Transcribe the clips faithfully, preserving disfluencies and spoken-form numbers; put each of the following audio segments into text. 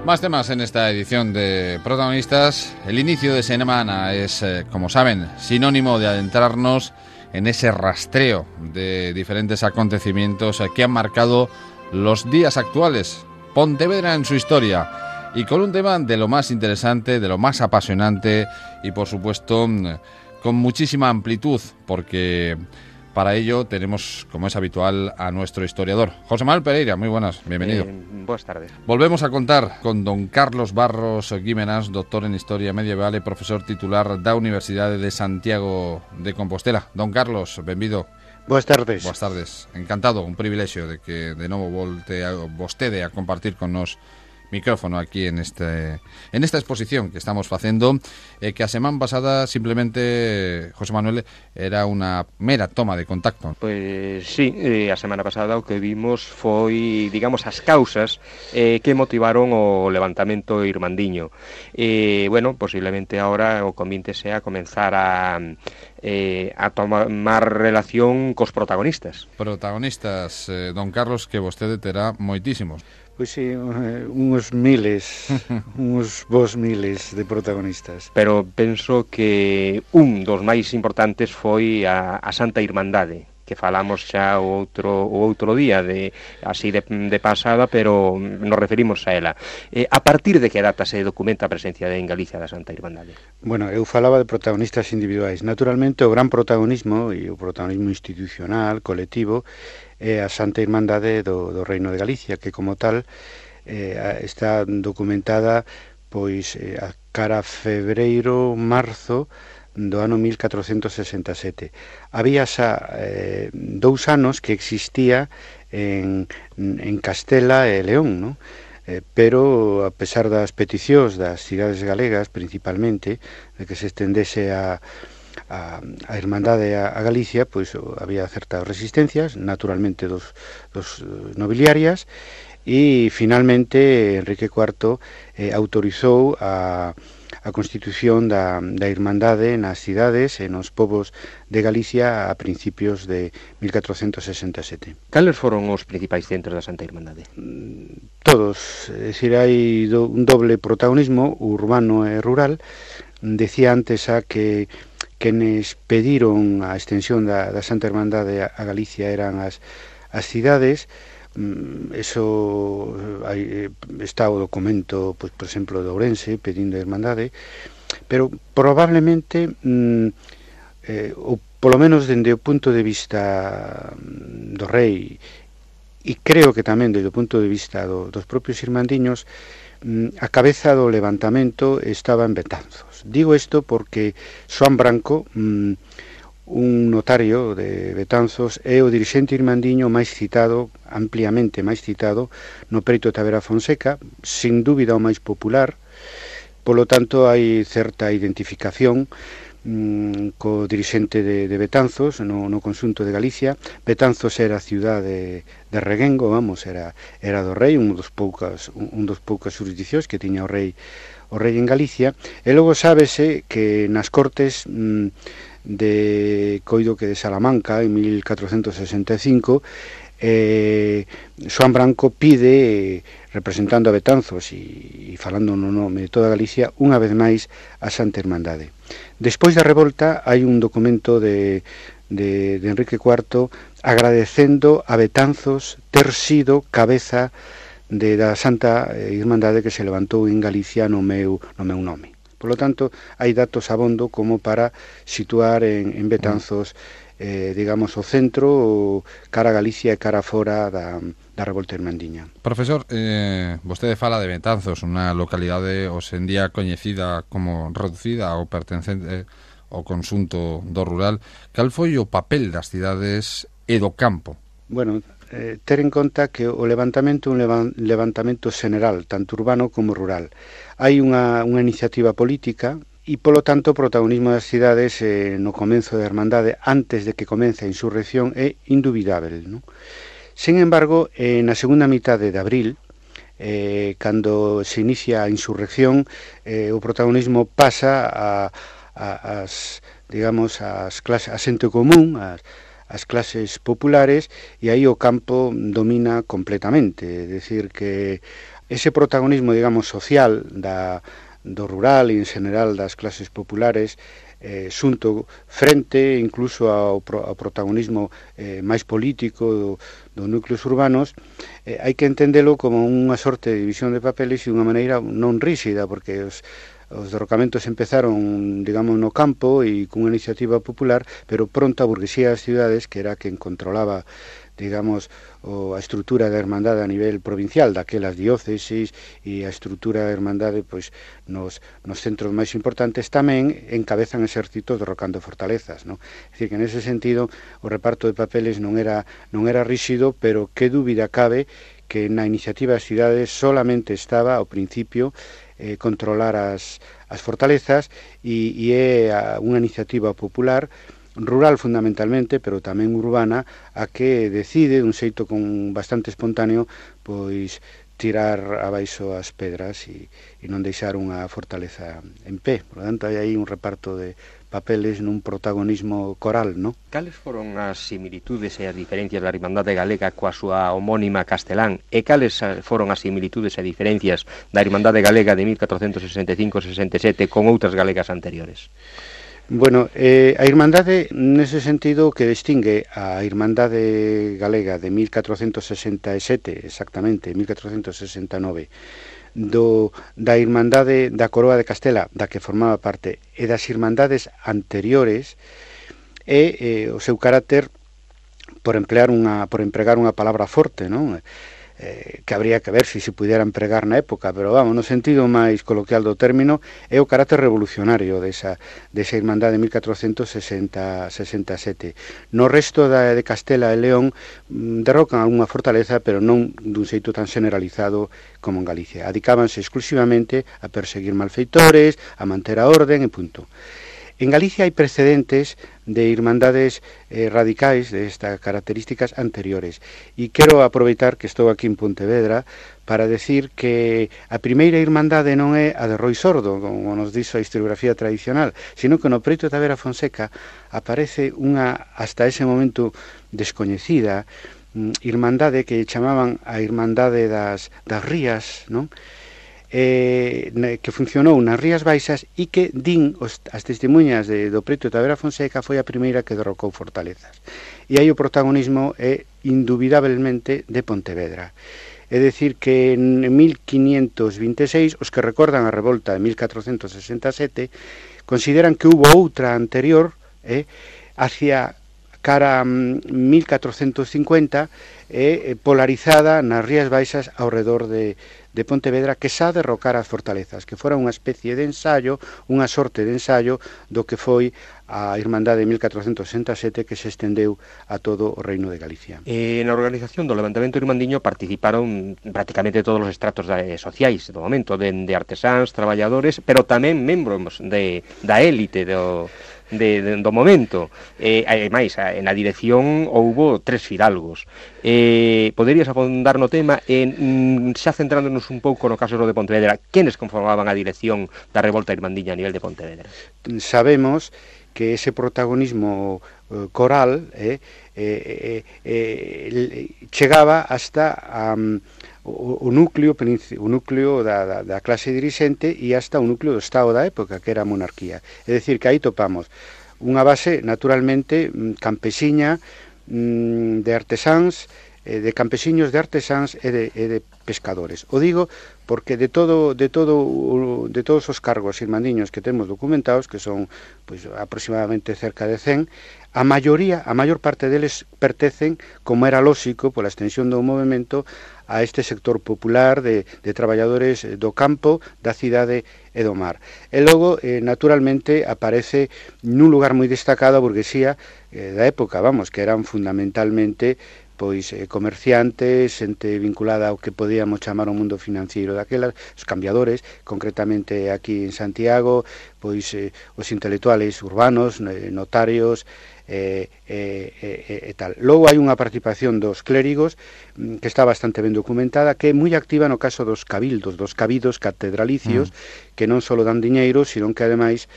Más temas en esta edición de Protagonistas. El inicio de semana es, eh, como saben, sinónimo de adentrarnos en ese rastreo de diferentes acontecimientos que han marcado los días actuales. Pontevedra en su historia. Y con un tema de lo más interesante, de lo más apasionante y, por supuesto, con muchísima amplitud, porque para ello tenemos, como es habitual, a nuestro historiador. José Manuel Pereira, muy buenas, bienvenido. Eh, buenas tardes. Volvemos a contar con don Carlos Barros Guimenas, doctor en Historia Medieval y profesor titular da Universidade de Santiago de Compostela. Don Carlos, benvido. Boas tardes. Boas tardes. Encantado, un privilexio de que de novo volte a, vostede a compartir con nos micrófono aquí en este en esta exposición que estamos facendo, eh, que a semana pasada simplemente, José Manuel, era unha mera toma de contacto. Pois sí, eh, a semana pasada o que vimos foi, digamos, as causas eh, que motivaron o levantamento irmandiño. E, eh, bueno, posiblemente ahora o convinte sea comenzar a eh, a tomar relación cos protagonistas. Protagonistas, eh, don Carlos, que vostede terá moitísimos. Pois sí, uns miles, uns vos miles de protagonistas. Pero penso que un dos máis importantes foi a, a Santa Irmandade, que falamos xa o outro o outro día de así de, de pasada, pero nos referimos a ela. Eh, a partir de que data se documenta a presencia de en Galicia da Santa Irmandade? Bueno, eu falaba de protagonistas individuais. Naturalmente, o gran protagonismo e o protagonismo institucional, colectivo, é a Santa Irmandade do, do Reino de Galicia, que como tal eh, está documentada pois eh, a cara febreiro, marzo do ano mil catrocentos sesenta e sete. Había xa eh, dous anos que existía en, en Castela e León, non? Eh, pero a pesar das peticións das cidades galegas, principalmente, de que se estendese a a, a Irmandade a, a Galicia, pois había certas resistencias, naturalmente dos, dos nobiliarias, e finalmente Enrique cuarto eh, autorizou a, a constitución da, da Irmandade nas cidades e nos povos de Galicia a principios de mil catrocentos sesenta e sete. Cales foron os principais centros da Santa Irmandade? Todos, é dicir, hai do, un doble protagonismo urbano e rural. Decía antes a que quenes pediron a extensión da, da Santa Irmandade a, a Galicia eran as, as cidades. Eso hai, está o documento, pois, por exemplo, de Ourense pedindo a Irmandade, pero probablemente mm, eh, ou polo menos dende o punto de vista do rei, e creo que tamén desde o punto de vista do, dos propios irmandiños, mm, a cabeza do levantamento estaba en Betanzos. Digo isto porque Xoán Branco, mm, un notario de Betanzos, é o dirixente irmandiño máis citado, ampliamente máis citado, no Preito de Tavera Fonseca, sin dúbida o máis popular. Polo tanto, hai certa identificación mm, co dirixente de, de Betanzos no, no conxunto de Galicia. Betanzos era a cidade de, de Reguengo, vamos, era, era do rei, un dos poucas, un, un dos poucas jurisdiccións que tiña o rei o rei en Galicia. E logo sábese que nas cortes mm, de coido que de Salamanca en mil catrocentos sesenta e cinco eh, Xoán Branco pide, representando a Betanzos e, e falando no nome de toda Galicia, unha vez máis a Santa Irmandade. Despois da revolta hai un documento de, de, de Enrique cuarto agradecendo a Betanzos ter sido cabeza de da Santa Irmandade que se levantou en Galicia no meu, no meu nome. Por lo tanto, hai datos abondo como para situar en, en Betanzos, eh, digamos, o centro, cara a Galicia e cara fora da, da revolta irmandiña. Profesor, eh, vostede fala de Betanzos, unha localidade hoxendía coñecida como reducida ou pertencente ao conxunto do rural. Cal foi o papel das cidades e do campo? Bueno, eh, ter en conta que o levantamento é un levan, levantamento xeneral, tanto urbano como rural. Hai unha, unha iniciativa política e, polo tanto, o protagonismo das cidades eh, no comenzo da Irmandade, antes de que comece a insurrección, é indubidável, non? Sin embargo, eh, na segunda mitade de abril, eh, cando se inicia a insurrección, eh, o protagonismo pasa a, a, as, digamos, as clases, a xente común, as as clases populares, e aí o campo domina completamente, é dicir que ese protagonismo, digamos, social da, do rural e en general das clases populares, eh, xunto frente incluso ao, ao protagonismo eh, máis político do, dos núcleos urbanos, eh, hai que entendelo como unha sorte de división de papeles e unha maneira non ríxida, porque os Os derrocamentos empezaron, digamos, no campo e cunha iniciativa popular, pero pronto a burguesía das cidades, que era quen controlaba, digamos, o, a estrutura da hermandade a nivel provincial, daquelas diócesis e a estrutura da hermandade pois, nos, nos centros máis importantes, tamén encabezan exércitos derrocando fortalezas, ¿no? É dicir, que nese sentido o reparto de papeles non era, non era ríxido, pero que dúbida cabe que na iniciativa das cidades solamente estaba ao principio eh, controlar as, as fortalezas e, e é a, unha iniciativa popular rural fundamentalmente, pero tamén urbana, a que decide, dun xeito con bastante espontáneo, pois tirar abaixo as pedras e, e non deixar unha fortaleza en pé. Por lo tanto, hai aí un reparto de papeles nun protagonismo coral, ¿no? Cales foron as similitudes e as diferencias da Irmandade Galega coa súa homónima Castelán? E cales foron as similitudes e diferencias da Irmandade Galega de mil catrocentos sesenta e cinco sesenta e sete con outras galegas anteriores? Bueno, eh, a Irmandade, nese sentido, que distingue a Irmandade Galega de mil catrocentos sesenta e sete, exactamente, mil catrocentos sesenta e nove, do, da Irmandade da Coroa de Castela, da que formaba parte, e das Irmandades anteriores, é eh, o seu carácter por emplear unha, por empregar unha palabra forte, non? Eh, que habría que ver se se pudiera empregar na época, pero vamos, no sentido máis coloquial do término, é o carácter revolucionario desa, desa Irmandade de mil catrocentos sesenta e sete. No resto da, de Castela e León derrocan algunha fortaleza, pero non dun xeito tan generalizado como en Galicia. Adicábanse exclusivamente a perseguir malfeitores, a manter a orden e punto. En Galicia hai precedentes de irmandades eh, radicais de estas características anteriores. E quero aproveitar que estou aquí en Pontevedra para decir que a primeira irmandade non é a de Roi Sordo, como nos dixo a historiografía tradicional, sino que no preito da Vera Fonseca aparece unha, hasta ese momento, descoñecida irmandade que chamaban a Irmandade das, das Rías, non? Eh, que funcionou nas Rías Baixas e que din os, as testemunhas de, do preto da Vera Fonseca foi a primeira que derrocou fortalezas. E aí o protagonismo é indubidablemente de Pontevedra. É dicir que en mil quinientos vinte e seis os que recordan a revolta de mil catrocentos sesenta e sete consideran que hubo outra anterior eh, hacia cara a mil catrocentos cincuenta eh, polarizada nas Rías Baixas ao redor de de Pontevedra, que xa derrocara as fortalezas, que fora unha especie de ensayo, unha sorte de ensayo do que foi a Irmandade de mil catrocentos sesenta e sete que se estendeu a todo o Reino de Galicia. Eh, na organización do levantamento irmandiño participaron prácticamente todos os estratos de, sociais do momento, de, de artesáns, traballadores, pero tamén membros de, da élite do... De, de, do momento. Eh, ademais, na dirección houbo tres fidalgos. Eh, poderías afondar no tema en, xa centrándonos un pouco no caso de Pontevedra, quenes conformaban a dirección da revolta irmandiña a nivel de Pontevedra? Sabemos que ese protagonismo eh, coral eh, eh, eh, eh, chegaba hasta um, o, o núcleo o núcleo da, da, da clase dirixente e hasta o núcleo do Estado da época, que era a monarquía. É dicir, que aí topamos unha base naturalmente campesiña, de artesáns, de campesiños, de artesáns e de, e de pescadores. O digo porque de todo de todo de todos os cargos irmandiños que temos documentados, que son pois aproximadamente cerca de cen, a maioría, a maior parte deles pertencen, como era lóxico pola extensión do movimento, a este sector popular de, de traballadores do campo, da cidade e do mar. E logo, eh, naturalmente, aparece nun lugar moi destacado a burguesía eh, da época, vamos, que eran fundamentalmente pois eh, comerciantes, xente vinculada ao que podíamos chamar o mundo financiero daquelas, os cambiadores, concretamente aquí en Santiago, pois eh, os intelectuales urbanos, eh, notarios, E, e, e, e tal. Logo hai unha participación dos clérigos que está bastante ben documentada, que é moi activa no caso dos cabildos, dos cabidos catedralicios, mm. que non só dan diñeiro, sino que ademais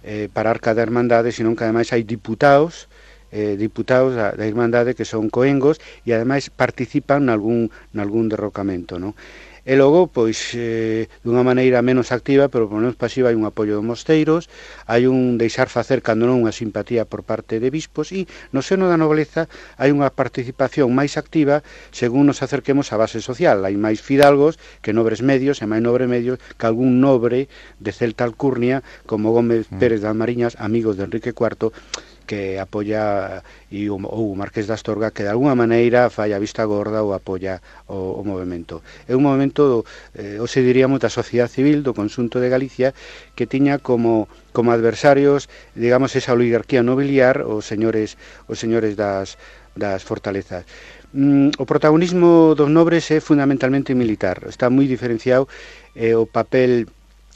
eh, para a arca da Irmandade, sino que ademais hai diputados eh, diputados da, da Irmandade que son coengos e ademais participan nalgún, nalgún derrocamento, non? E logo, pois, eh, dunha maneira menos activa, pero por menos pasiva, hai un apoio dos mosteiros, hai un deixar facer cando non unha simpatía por parte de bispos, e no seno da nobleza hai unha participación máis activa según nos acerquemos á base social. Hai máis fidalgos que nobres medios, e máis nobre medios que algún nobre de celta alcurnia, como Gómez Pérez das Mariñas, amigos de Enrique cuarto, que apoia, e o, o Marqués de Astorga, que de alguna maneira fai a vista gorda ou apoia o, o movimento. É un movimento, eh, ou se diríamos, da sociedade civil do conxunto de Galicia, que tiña como, como adversarios, digamos, esa oligarquía nobiliar, os señores, os señores das, das fortalezas. Mm, o protagonismo dos nobres é fundamentalmente militar, está moi diferenciado, eh, o papel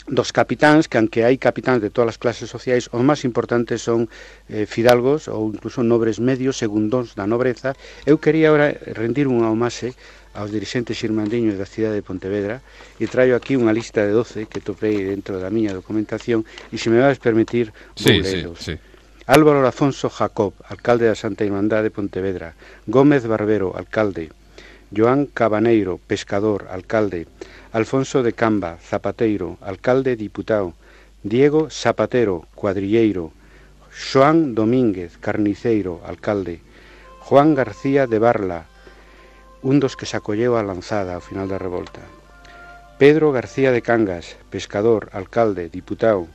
dos capitáns, que aunque hai capitáns de todas as clases sociais, os máis importantes son eh, fidalgos ou incluso nobres medios, segundóns da nobreza. Eu quería agora rendir unha homaxe aos dirixentes irmandiños da cidade de Pontevedra e traio aquí unha lista de doce que topei dentro da miña documentación e se me vais permitir vou sí, leeros. Sí, sí. Álvaro Afonso Jacob, alcalde da Santa Irmandade de Pontevedra. Gómez Barbero, alcalde. Joan Cabaneiro, pescador, alcalde. Alfonso de Camba, zapateiro, alcalde, diputado. Diego Zapatero, cuadrilleiro. Xoán Domínguez, carniceiro, alcalde. Juan García de Barla, un dos que se acolleu á lanzada ao final da revolta. Pedro García de Cangas, pescador, alcalde, diputado.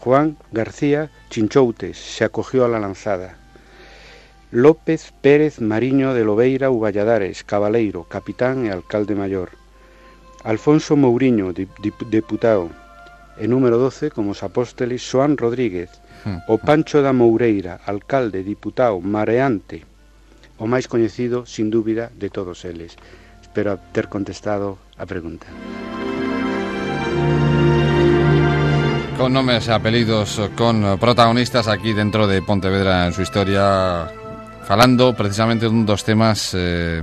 Juan García Chinchoutes, se acogió a la lanzada. López Pérez Mariño de Lobeira Uvalladares, cabaleiro, capitán e alcalde maior. Alfonso Mouriño, deputado. E número doce, como os apóstoles, Xoán Rodríguez, o Pancho da Moureira, alcalde, diputado, mareante, o máis coñecido, sin dúbida, de todos eles. Espero ter contestado a pregunta. Con nombres e apelidos, con protagonistas aquí dentro de Pontevedra en su historia, falando precisamente dun dos temas eh,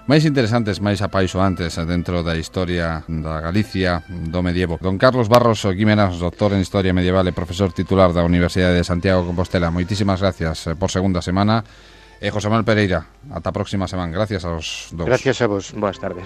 máis interesantes, máis apaixoantes dentro da historia da Galicia do medievo. Don Carlos Barros Guimeras, doctor en Historia Medieval e profesor titular da Universidade de Santiago de Compostela, moitísimas gracias por segunda semana. E José Manuel Pereira, ata a próxima semana. Gracias aos dous. Gracias a vos. Boas tardes.